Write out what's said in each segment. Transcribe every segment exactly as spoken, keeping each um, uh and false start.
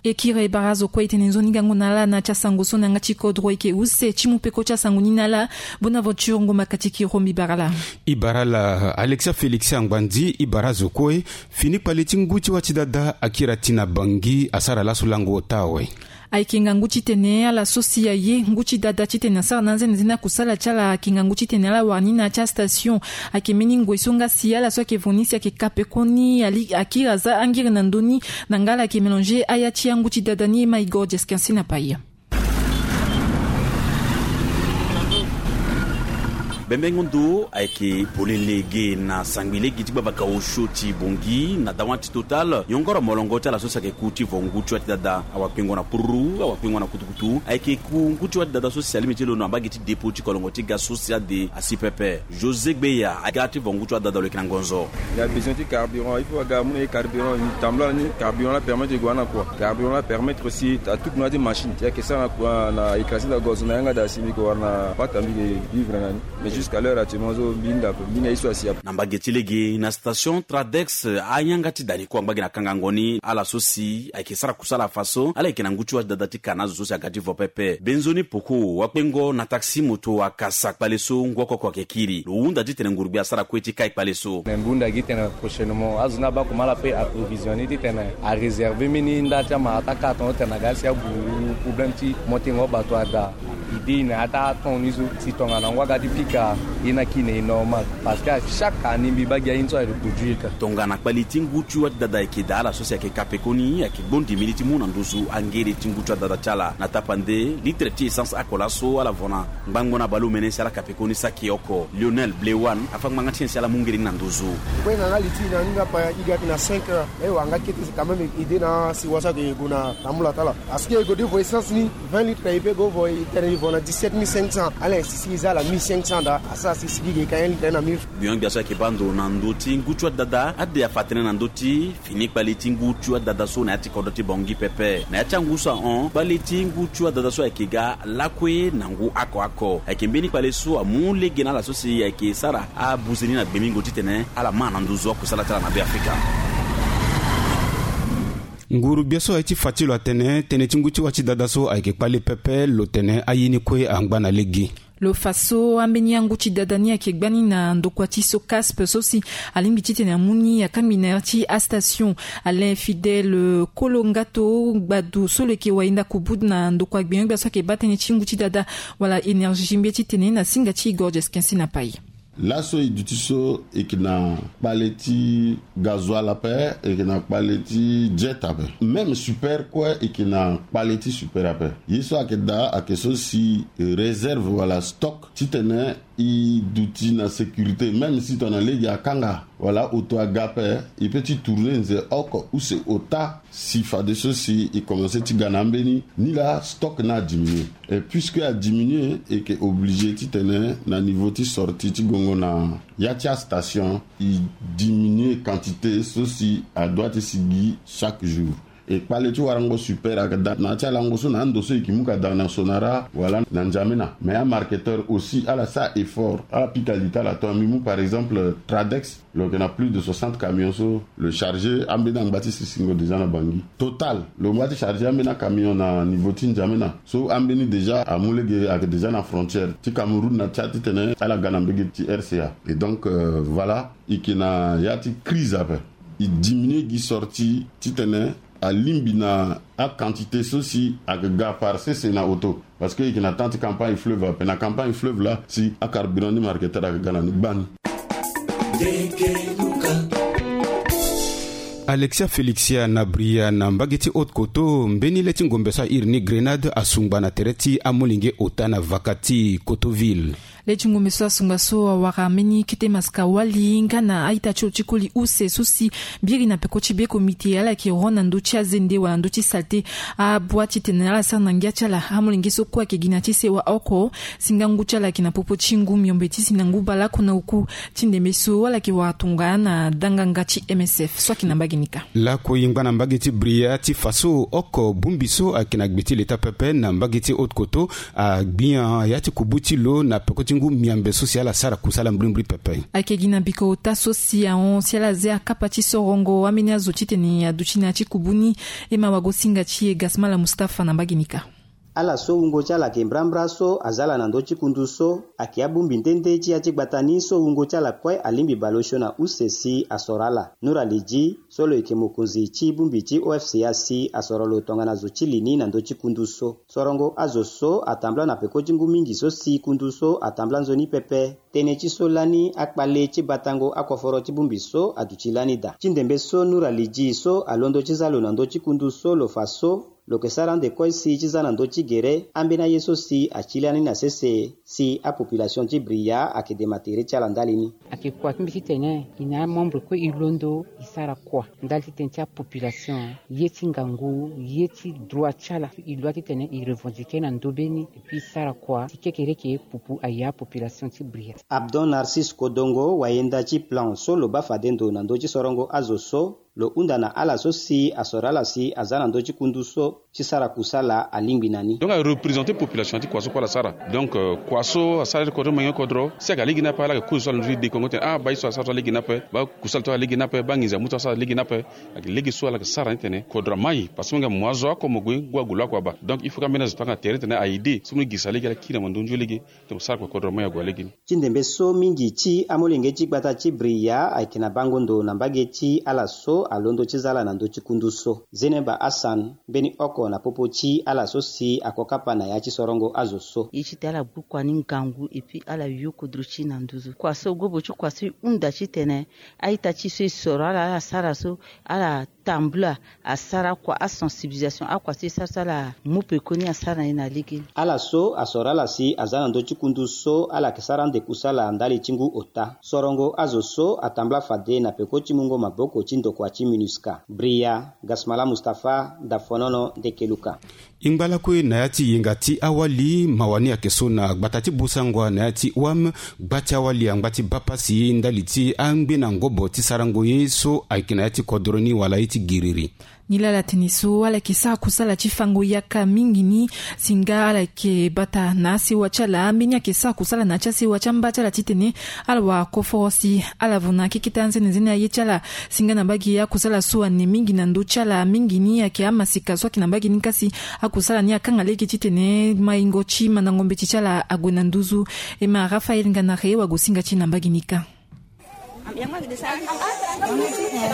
E kiri e bara azo kue e tene nzoni gango na ala na ya ti asango so na yanga ti kodro ayeke use ti mu peko ti asango ni na ala. Bonaventure Ngoma Katiki Rombi Barala. E bara ala Alexia Félix Angbandi. E bara azo kue. Fini kpale ti ngu ti wâ ti dada akiri ati na Bangui asara laso lango ota awe. Ayeke ngangu titene ala so si aye ngu ti dada titene asara na anzene nzeni akusala ti ala ayeke ngangu titene ala wara ni na ya ti astation. Ayeke mbeni ngoi so nga si ala so ayeke vo ni si ayeke ka pekoni ali akiri aza angiri na ndö ni. Na nga ala yeke mélanger aya ti angu ti dada ni e ma Igor Jeskinsi na Paia. Bembengo ndo ayeke polele ge na sangbi lege ti gbavaka osio ti Bangui na dawa ti Total. Yongoro molongo ti ala so si ayeke ku ti vo ngu ti wâ ti dada awakpengo na pururu awakpengo na kutukutu ayeke ku ngu ti wâ ti dada so si alingbi ti lo na mbage ti dépôt ti kolongo ti ga so si ade asi pepe. José Gbeya aga ti vo ngu ti wâ ti dada lo yeke na ngonzo. Il y a besoin ti carburant, il faut aga amu na ye carburant ni tambula ni. Carburant la permettre e gue na kua. Carburant la permettre aussi atuku na ya ti machine ti ayeke sara na kua na écrasé na gozo na yanga da si mbi yeke wara na pata mbi yeke vivre na ni. Mais jusqu'à l'heure actuellement so mbi hinda ape mbi hinda ye so asi ape. Na mbage ti lege na station Tradex ayanga ti da ni kue angba gi na kangango ni ala so si ayeke sara kusala fa so ala yeke na ngu ti wâ ti dada ti ka na azo so si aga ti vo pepe. Benzoni poko wakpengo na taxi moto akasa kpale so ngu oko oko ayeke kiri lo hunda titene nguru gbia asara kue ti kai kpale so. Me mbi hunda gi titene prochainement azo ni abaa kuma ala pe approvisionner titene aréserver mbeni nda ti amara ti akara tongo titene aga si ague problème ti motengo bato ada. Idée na ya ti aton ni so si tongana ngu aga ti pika ye ni aki na e normal. Parce que à chaque année mbi baa gi aye ni so areproduire kâ. Tongana kpale ti ngu ti wâ ti dada ayeke daa ala so si ayeke ka pekoni ayeke gbondi mbeni ti mu na nduzu angere ti ngu ti wâ ti dada ti ala na tapande litre ti essence oko laso ala vo na ngbangbo na baleomene si ala ka pekoni saki oko. Lionel Blewan afa ngbanga ti nyen si ala mu ngere ni na nduzu. Kue na nga li ti na ni nga pa i ga yeke na cinq heures. E wara nga kete si quand même ide na si wasa yeke gue na tambula ti ala. Parce que e gue ti vo essence ni vingt litres e pe gue vo e tene e vo na dix-sept mille cinq cents. Ala insi si e za ala mille cinq cents daa asara si sigi ge ka un litre na mille. Gbion gbia so ayeke baa ndo na ndö ti ngu ti wâ ti dada ade afa tënë na ndö ti fini kpale ti ngu ti wâ ti dada so na ya ti kodro ti Bangui pepe. Na ya ti angu so ahon kpale ti ngu ti wâ ti dada so ayeke ga lakue na ngu oko oko. Ayeke mbeni kpale so amu lege na ala so si ayeke sara abuze ni na gbengbingo titene ala ma na nduzu akusala ti ala na Beafrika. Nguru gbia so aye ti fa ti lo atene tënë ti ngu ti wâ ti dada so ayeke kpale pepe lo tene aye ni kue angba na lege. Lo fa so ambeni angu ti dada ni ayeke gbani na ndokua ti SOCASP so si alingbi titene amu ni akangbi na ya ti astation. Alain Fidèle Kolongato gbadu so lo yeke wayenda kubu na ndokua gbenyo-gbia so ayeke baa tënë ti ngu ti dada wala énergie mbia titene na singa ti Igor Jeskinsi na Paye. Laso e duti so e yeke na kpale ti gazoil ape, e yeke na kpale ti jet ape. Même super kue e yeke na kpale ti super ape. Ye so ayeke daa ayeke so si réserve wala stock titene e duti na sécurité même si tongana lege akanga wala oto aga ape, e peut ti tourner nze oko use ota si fadeso si e commencer ti ga na ambeni ni laa stock ni adiminuer. Et puisque adiminuer e yeke obligé titene na niveau ti sortie ti gongo na ya ti astation e diminuer quantité so si adoit ti sigi chaque jour. E kpale ti warango super ayeke daa na ya ti alango so na ando so e yeke mu ka daa na Sonara wala na N'Djamena. Mais amarketeur aussi ala sara effort ala pika li ti ala. Tongana mbi mu par exemple Tradex lo yeke na plus de soixante camions so lo charger ambeni angba ti sisingo déjà na Bangui. Total lo ngba ti charger ambeni acamion na niveau ti N'Djamena so ambeni déjà amu lege ayeke déjà na frontière ti Cameroun na Tchad titene ala ga na mbege ti R C A. Et donc euh, voilà e yeke na ya ti crise ape. E diminuer gi sortie titene alingbi na aquantité so si ayeke ga par sese na oto. Parce que e yeke na temps ti campagne fleuve ape na campagne fleuve laa si acarburant ni marketeur ayeke ga na ni gbani. Alexia Félixia na Bria na mbage ti Haute Koto mbeni le ti ngombe so airi ni Grenade asungba na tere ti amolenge ota na vaka ti Kotoville. Le ti ngombe so asungba so awara mbeni kete masika wali nga na a-ita ti lo ti koli use so si biri na peko ti be komite ala yeke ro na ndö ti azende wala ndö ti salte. Abua titene ala sara na ngia ti ala amolenge so kue ayeke gi na ti sewa oko si nga ngu ti ala ayeke na popo ti ngu miombe ti si na ngu baleoko na oku ti ndembe so ala yeke wara tongana danganga ti M S F so ayeke na mbage ni kâ. Lakue e ngba na mbage ti Bria ti fa so oko bongbi so ayeke na gbe ti leta pepe na mbage ti Haute Koto agbia ya ti kubu ti lo na peko ti Ngu miambe so si ala sara kusala mbrimbri pepe. Ayeke gi na biko ota so si ahon si ala zia akapa ti sorongo ambeni azo titene aduti na ya ti kubu ni. E ma wagosinga ti e Gasmala Mustapha na mbage ni kâ. Ala so wungo ti ala ayeke mbrambra so aza ala na ndö ti kundu so ayeke abongbi nde nde ti ya ti gbata ni so wungo ti ala kue alingbi bale osio na use si asoro ala. Nour Ali Dji so lo yeke mokonzi ti bongbi ti O F C A si asoro lo tongana zo ti li ni na ndö ti kundu so. Sorongo azo so atambula na peko ti ngu mingi so si kundu so atambula nzoni pepe. Tënë ti so lani akpale ti batango akoforo ti bongbi so aduti lani daa. Ti ndembe so Nour Ali Dji so alondo ti za lo na ndö ti kundu so lo fa so lo yeke sara ande kue si ti za na ndö ti gere ambeni aye so si ati lani na sese si apopulation ti Bria ayeke dema tere ti ala ndali ni. Ayeke kua ti mbi titene e na amembre kue e londo e sara kua ndali titene ti apopulation, ye ti ngangu, ye ti droit ti ala. E loa titene e revendiquer na ndö be ni. Puis e sara kua si kekereke pupu aye apopulation ti Bria. Abdon Narcisse Kodongo, wayenda ti plan so lo baa fade ndo na ndö ti sorongo azo so, lo hunda na ala so si asoro ala si aza na ndö ti kundu so ti sara kusala alingbi na ni. Donc arepresente population ti kua so kue ala sara. Donc euh, kua so asara ti kodro, mangi kodro si ayeke lege ni ape, ala yeke kozo so ala ndö ti dekongo tene ah baa ye so asara so alege ni ape, baa kusala so alege ni ape, baa nginza mutu asara alege ni ape. Ayeke lege so ala yeke sara ni tene kodro amai parce que mo yeke mo azo oko mo gue ngu ague lo oko abaa. Donc il faut ka mbeni azo tanga tere tene a aide so mo ni girisa lege ala kiri na mo ndö nzoni lege. Tene mo sara kue kodro amai ague alege ni. Ti ndembe so mingi ti amolenge ti gbata ti Bria ayeke na bango ndo na mbage ti ala so alondo ti za ala na ndö ti kundu so. Zeneba Hassan, mbeni oko na popo ti ala so si ako kapa na ya ti sorongo azo so. Ye ti tene ala gbu kua ni ngangu et puis ala yo kodro ti e na nduzu. Kua so gobo ti kua so e hunda titene a-ita ti e so e soro ala, ala sara so, ala tambula asara kua, asensibilisation, akua so e sara so ala mu pekoni asara na e na lege ni. Ala so asoro ala si aza na ndö ti kundu so ala yeke sara ande kusala ndali ti ngu ota. Sorongo azo so atambula fade na peko ti mungo maboko ti ndokua ti MINUSCA. Bria, Gasmala Mustapha, Dafonono, Ndekeluka. E ngba lakue na ya ti yenga ti awali, mawa ni ayeke so na gbata ti Bossangoa na ya ti O A M, gba ti awali angba ti baa pasi ndali ti angbe na ngobo ti sarango ye so ayeke na ya ti kodro ni wala ye ti giriri. Nilaa ala tene so ala yeke sara kusala ti fango yaka mingi ni, si nga ala yeke bata na asewa ti ala ambeni ayeke sara kusala na ya ti asewa ti amba ti ala titene ala wara koforo si ala vo na akeketa anzenenzene aye ti ala. Si nga na mbage akusala so ane mingi na ndö ti ala mingi ni ayeke amasika so ayeke na mbage ni kâ si akusala ni akanga lege titene maingo ti mandango mbeti ti ala ague na nduzu. E ma Raphaël Nganare wagosinga ti e na mbage ni kâ. E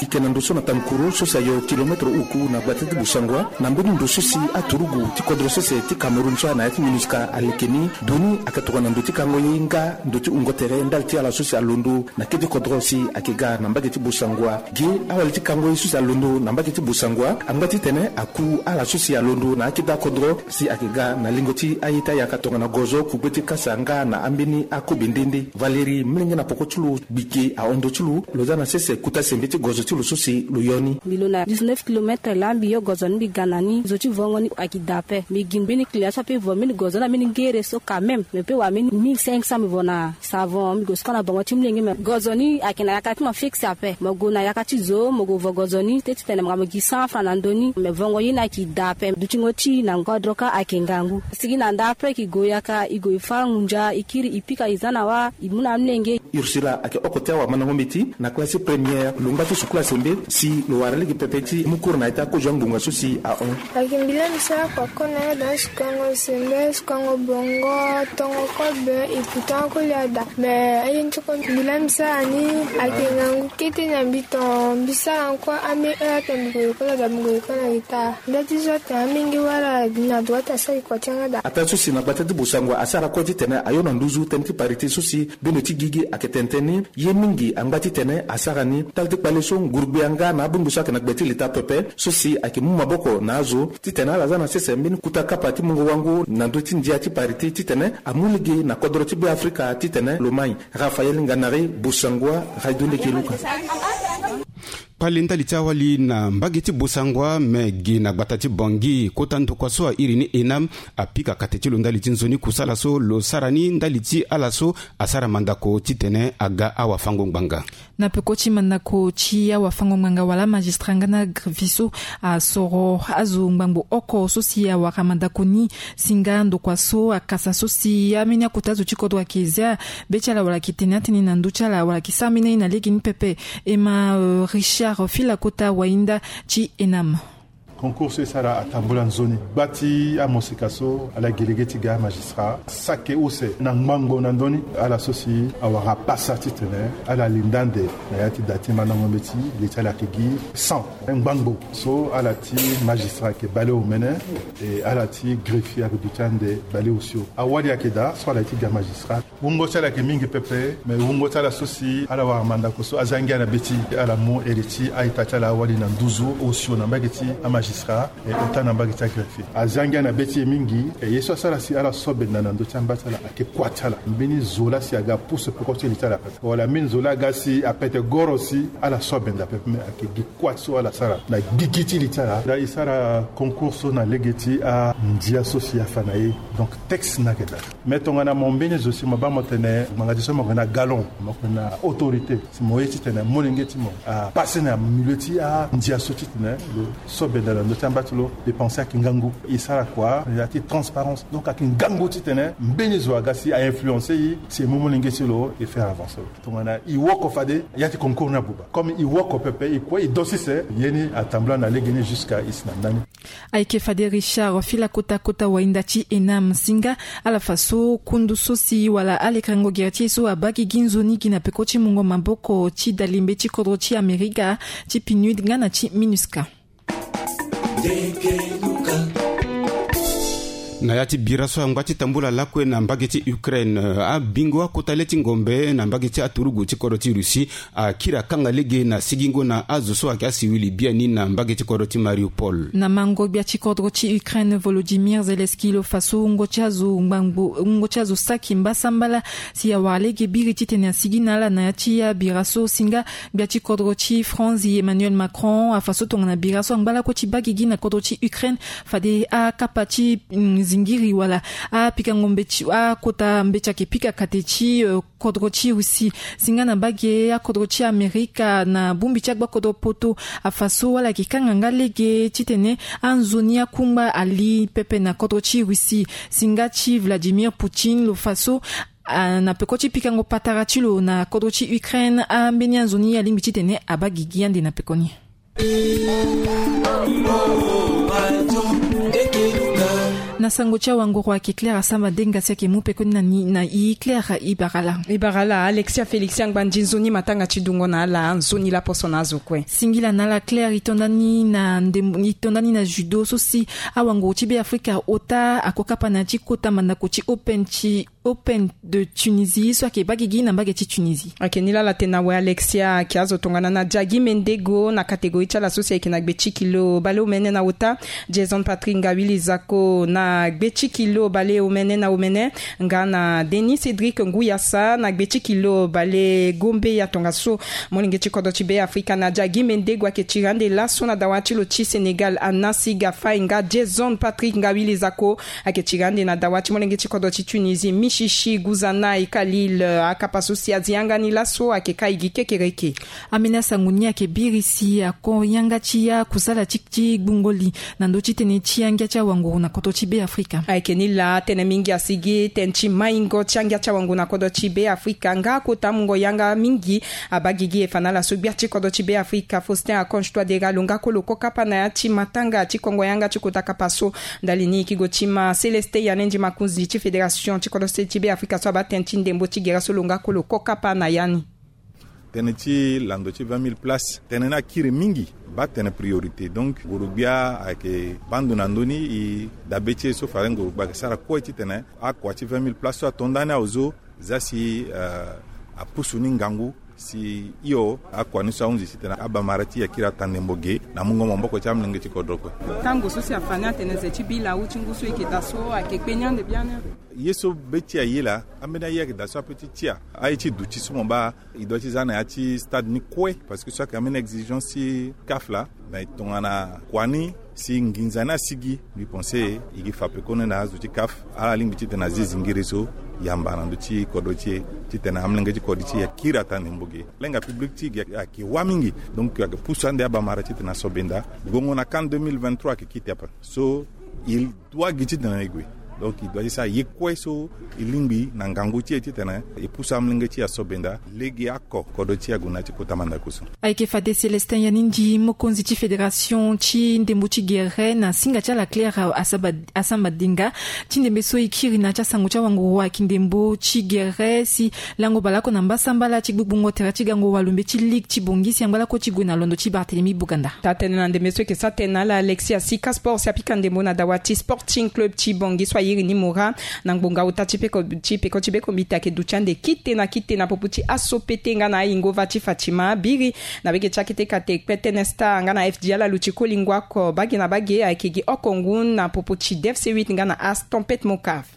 yeke na ndo so na Tankuru so si ayo kilometre uku na gbata ti Bossangoa na mbeni ndo so si aturugu ti kodro sese ti Cameroun so a na ya ti MINUSCA aleke ni. Ndo ni ayeke tokua na ndo ti kango ye nga ndo ti wungo tere ndali ti ala so si alondo na kete kodro si ayeke ga na mbage ti Bossangoa. Ge awali ti kango ye so si alondo na mbage ti Bossangoa angba titene aku ala so si alondo na akete akodro si ayeke ga na lingo ti aye ti ayaka tongana gozo, kugbe ti kasa nga na ambeni akobe nde nde. Valérie, molenge na poko ti lo, gbike ahon ndo ti lo, lo za na sese kota sembe ti gozo ti lo so si lo yo ni. Mbi lo na dix-neuf kilomètre laa mbi yo gozo ni mbi ga na ni, zo ti vongo ni ayeke daa ape. Mbi gi mbeni client so ape vo mbeni gozo ni na mbeni ngere so quand même. Mbi pe wara mbeni mille cinq cents mbi vo na savon, mbi gue siko na bongo ti molenge me gozo ni ayeke na yaka ti mo fixe ape. Mo gue na yaka ti zo, mo gue vo gozo ni, teti tene mo ga mo gi cent francs na ndo ni, me vongo ye ni ayeke daa ape. Dutingo ti e na ngodro kâ ayeke ngangu. Sigi na nda ape e gue yaka, e gue e fâ ngunza, e kiri, e pika, e za na wâ, e mu na amolenge. Ursula ayeke oko ti awamandango mbeti na classe première, lo ngba ti sukula sembe si lo wara lege pepe ti mu cours na ya ti akozo angbonga so si ahon. Ayeke mbi laa mbi sara kua kue na yada, sikongo sembe, sikongo bongo, tongo kobe, e ku tongo kue lia daa. Me aye ni ti kue mbi laa mbi sara ni ayeke ngangu kete na mbi, ton mbi sara ni kue ambeni heure atene mbi gue lekole daa, mbi gue lekole na retard. Nda ti zo atene amenge wala na droite asara e kua ti yanga daa. Ataa so si na gbata ti Bossangoa asara kue titene ayo na nduzu tënë ti parité so si bendo ti gigi ayeke tene tënë ni. Ye mingi angba titene asara ni. Tali ti kpale so ngurugbe yanga na abongbi so ayeke na gbe ti leta pepe so si ayeke mu maboko na azo titene ala za na sese mbeni kota kapa ti mungo wango na ndö ti ndia ti parité titene amu lege na kodro ti Beafrika titene lo mai. Raphaël Nganare, Bossangoa, Radio Ndeke Luka. Kpale ndali ti awali na mbage ti Bossangoa, me gi na gbata ti Bangui, kota ndokua so a iri ni ENAM apika kate ti lo ndali ti nzoni kusala so lo sara ni ndali ti ala so asara mandako titene aga awafango-ngbanga. Na peko ti mandako ti awafango-ngbanga wala magistrat nga na greffier so asoro azo ngbangbo oko so si awara mandako ni, si nga ndokua so akasa so si ambeni akota zo ti kodro ayeke zia be ti ala wala ayeke tene atënë na ndö ti ala wala ayeke sara ambeni aye na lege ni pepe. E ma, euh, Richard Filakota, wahinda ti ENAM. Concours so e sara atambula nzoni. Gba ti amosika so ala gi lege ti ga magistrat sake use na ngbangbo na ndö ni ala so si awara pasa titene ala linda ande na ya ti da ti mandango mbeti. Li ti ala ayeke gi cent ngbangbo so ala ti magistrat ayeke baleomene. E ala ti greffier ayeke duti ande baleosio. Awali ayeke daa so ala ye ti ga magistrat. Wungo ti ala ayeke mingi pepe, me wungo ti ala so si ala wara mandako so azia ngia na be ti ala mu ere ti a-ita ti ala awali na nduzu osio na mbage ti amagistrat, e ota na mbage ti agreffier. Azia ngia na be ti e mingi. E ye so asara si ala so benda na ndö ti amba ti ala ayeke kua ti ala. Mbeni zo laa si aga pusu peko ti li ti ala pepe, wala mbeni zo laa aga si apete goro si ala so benda pepe, me ayeke gi kua so ala sara na gigi ti li ti ala. Daa e sara concours so na lege ti andia so si afa na e. Donc texte ni ayeke daa. Me tongana mo mbeni zo si mo baa mo tene ngbanga ti so mo yeke na galon, mo yeke na autorité, si mo ye titene molenge ti mo apasse na milieu ti andia so titene lo so benda na ndö ti amba ti lo. Dépense ayeke ngangu. E sara kua na ya ti transparence. Donc ayeke ngangu titene mbeni zo aga si a influencer e si e mu molenge ti lo e faire avancer lo. Tongana e woko fade, ya ti concours ni abuba. Comme e woko pepe, e kue e do sese. Ye ni atambula na lege ni jusqu'à e si na ndani. Ayeke fade Richard Filakota, kota wahinda ti ENAM, si nga ala fa so kundu so si wala alekerengo gere ti e so abaa gigi nzoni gi na peko ti mungo maboko ti dalimbe ti kodro ti Amerika, ti PNUD nga na ti MINUSCA. Na ya ti bira so angba ti tambula lakue na mbage ti Ukraine, abingo akota le ti ngombe na mbage ti aturugu ti kodro ti Russie akiri akanga lege na sigingo na azo so ayeke asiwili biani na mbage ti kodro ti Mariupol. Na mango gbia ti kodro ti Ukraine Volodymyr Zelensky lo fa so wungo ti azo ngbangbo, wungo ti azo saki mbasambala si awara lege biri titene asigi na ala na ya ti abira so, si nga gbia ti kodro ti France Emmanuel Macron afa so tongana bira so angba lakue ti baa gigi na kodro ti Ukraine, fade akapa ti, mm, zingiri wala apikango mbeti, akota mbeti ayeke pika kate ti, euh, kodro ti Russie. Si nga na mbage akodro ti Amerika na bongbi ti agbakodro poto afa so ala yeke kanga nga lege titene anzoni akungba ali pepe na kodro ti Russie. Si nga ti Vladimir Poutine lo fa so, ah, na peko ti pikango patara ti lo na kodro ti Ukraine, ambeni anzoni alingbi titene abaa gigi ande na pekoni. Na sango ti awanguru ayeke Claire Asamba Denga si ayeke mu pekoni na ni na i. Claire, i bara ala. I bara ala Alexia Félix, angba nzi nzoni matanga ti dungo na ala nzoni laposo na azo kue. Singila na ala Claire, i to nda ni na ndembo, i to nda ni na judo so si awanguru ti Beafrika ota akokapa na ya ti kota mandako ti Open ti Open de Tunisie so ayeke baa gigi na mbage ti Tunisie. Ayeke ni laa ala tene na awe Alexia. Ayeke azo tongana na Diagui Mendego na catégorie ti ala so si ayeke na gbe ti kilo baleomene na ota, Jason Patrick Ngawili Zako na gbe ti kilo baleomene na omene, nga na Denis Cédric Nguyasa na gbe ti kilo balegombe. Ya tongaso molenge ti kodro ti Beafrika na Diagui Mendego ayeke tiri ande laso na dawa ti lo ti Sénégal, Anassi Gafaye nga Jason Patrick Ngawili Zako ayeke tiri ande na dawa ti molenge ti kodro ti Tunisie, Michichi Guzanay Khalil. Akapa so si azi yanga ni laso ayeke kai gi kekereke. Ambeni asango ni ayeke biri si ako yanga ti akusala ti, ti gbungo li na ndö ti tënë ti angia ti awanguru na kodro ti Beafrika. Ayeke ni laa tënë mingi asigi tënë ti maingo ti angia ti awanguru na kodro ti Beafrika nga akota mungo yanga mingi abaa gigi e fa na ala so gbia ti kodro ti Beafrika Faustin Archange Touadéra lo nga kue lo kokapa na ya ti matanga ti kongo yanga ti kota kapa so. Ndali ni e yeke go ti ma Célestin Yanendi Makunzi ti fédération ti kodro sese ti Beafrika so abaa tënë ti ndembo ti gere so lo nga kue lo kokapa na ya ni. Tënë ti lando ti vingt mille places, tënë ni akiri mingi, baa tënë priorité. Donc nguru-gbia ayeke baa ndo na ndö ni, e dabe ti e so fade nguru-gbia ayeke sara kue titene akua ti vingt mille places so ato ndani azo, za si, eh, apusu ni ngangu si hio akua ni so ahunzi titene abamara ti e akiri ata ndembo ge na mungo maboko ti amolenge ti kodro kue. Tango so si afa ni atene ze ti bi lawu ti ngu so e yeke daa so ayeke kpe ni ande biani. Ye so be ti aye laa, ambeni aye ayeke daa so ape ti tia aye ti duti so mo baa. E doit ti za na ya ti stade ni kue parce que so ayeke ambeni exigence ti CAF laa. Mais tongana kua ni si nginza ni asigi, mbi pense e gi fa pekoni na azo ti CAF ala lingbi titene azi zingiri so yamba na ndö ti kodro ti e, titene amolenge ti kodro ti e akiri ataa ndembo ge. Lenga public ti e gi ayeke wâ mingi. Donc ayeke pusu ande abamara titene aso benda. Gongo na CAN deux mille vingt-trois ayeke kite ape. So il doit gi titene e gue. Donc il doit ti sara ye kue so e lingbi na ngangu ti e titene e pusu amolenge ti e aso benda lege ako kodro ti e ague na ya ti kota mandako so. Ayeke fade Célestin Yanindi, mokonzi ti fédération ti ndembo ti gere, na singa ti ala Claire Asaba-, Asamba Dinga. Ti ndembe so e kiri na ya ti asango ti awanguru ayeke ndembo ti gere si lango baleoko na mbasambala ti gbugbungo tere ti gango walombe ti ligue ti Bangui si angba lako ti gue na londo ti Barthélemy Boganda. Taa tënë na ndembe so e yeke sara tënë na ala Alexia Sika Sport si apika ndembo na dawa ti Sporting Club ti Bangui so airi ni Mora na ngbonga ota ti peko ti peko ti bekombita ayeke duti ande kite na kite na popo ti aso pete nga na ayingo va ti Fatima biri na wege ti akete kate kpe tënë star nga na F D L aluti kolingo ako bage na bage ayeke gi oko ngu na popo ti D F C huit nga na As Tempête Mocaf.